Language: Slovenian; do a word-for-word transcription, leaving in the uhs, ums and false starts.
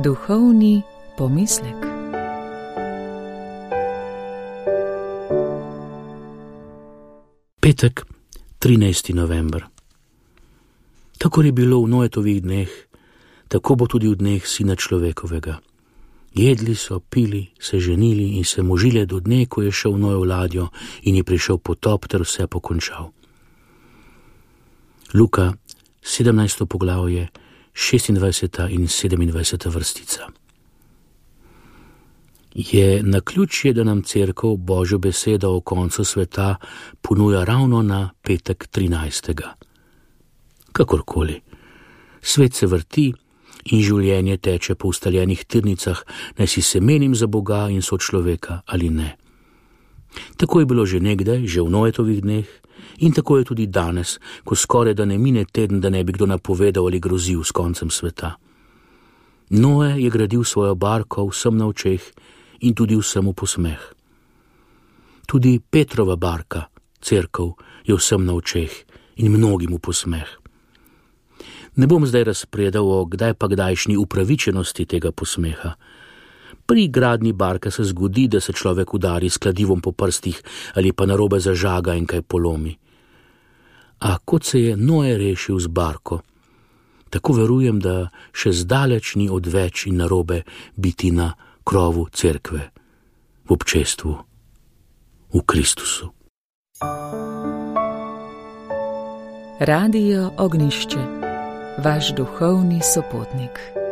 Duhovni pomislek. Petek, trinajsti november. Kakor je bilo v Noetovih dneh, tako bo tudi v dneh Sina človekovega. Jedli so, pili, se ženili in se možile do dne, ko je šel Noe v ladjo in je prišel potop ter vse pokončal. Luka, sedemnajsto poglavje, šestindvajseta in sedemindvajseta vrstica. Je naključje, da nam Cerkev Božjo besedo o koncu sveta ponuja ravno na petek trinajstega. Kakorkoli, svet se vrti in življenje teče po ustaljenih tirnicah, naj si se menim za Boga in sočloveka ali ne. Tako je bilo že nekdaj, že v Noetovih dneh, in tako je tudi danes, ko skoraj da ne mine teden, da ne bi kdo napovedal ali grozil s koncem sveta. Noe je gradil svojo barko vsem na očeh in tudi vsemu posmeh. Tudi Petrova barka, Cerkev, je vsem na očeh in mnogim v posmeh. Ne bom zdaj razpredal o kdaj pa kdajšnji upravičenosti tega posmeha. Pri gradnji barke se zgodi, da se človek udari s kladivom po prstih ali pa narobe zažaga in kaj polomi. A kot se je Noe rešil z barko, tako verujem, da še zdaleč ni odveč in narobe biti na krovu cerkve, v občestvu, v Kristusu. Radio Ognjišče, vaš duhovni sopotnik.